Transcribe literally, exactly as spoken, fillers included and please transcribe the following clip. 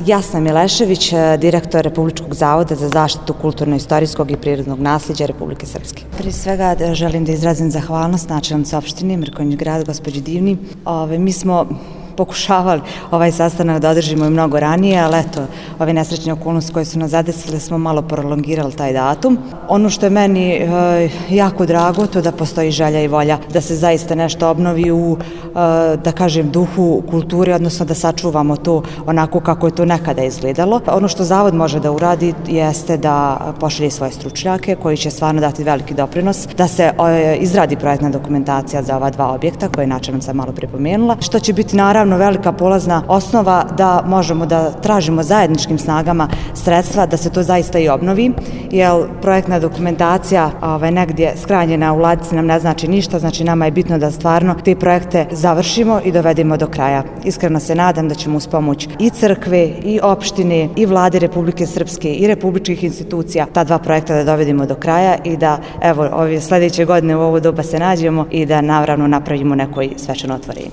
Jasna Milešević, direktor Republičkog zavoda za zaštitu kulturno-istorijskog i prirodnog nasleđa Republike Srpske. Prije svega želim da izrazim zahvalnost načelnici opštine Mrkonjić Grad, gospođi Divni. Ove, mi smo pokušavali ovaj sastanak da održimo i mnogo ranije, ali eto, ove nesrećne okolnosti koje su nas zadesile smo malo prolongirali taj datum. Ono što je meni e, jako drago, to da postoji želja i volja da se zaista nešto obnovi u, e, da kažem, duhu kulture, odnosno da sačuvamo to onako kako je to nekada izgledalo. Ono što Zavod može da uradi jeste da pošalje svoje stručnjake koji će stvarno dati veliki doprinos, da se e, izradi projektna dokumentacija za ova dva objekta koje je načelnica malo pripomenula, što će biti naravno velika polazna osnova da možemo da tražimo zajedničkim snagama sredstva da se to zaista i obnovi, jer projektna dokumentacija ovaj, negdje skranjena u ladici nam ne znači ništa, znači nama je bitno da stvarno te projekte završimo i dovedemo do kraja. Iskreno se nadam da ćemo uz pomoć i crkve, i opštine, i vlade Republike Srpske, i republičkih institucija ta dva projekta da dovedemo do kraja i da evo ove sljedeće godine u ovo doba se nađemo i da naravno napravimo neko svečano otvorenje.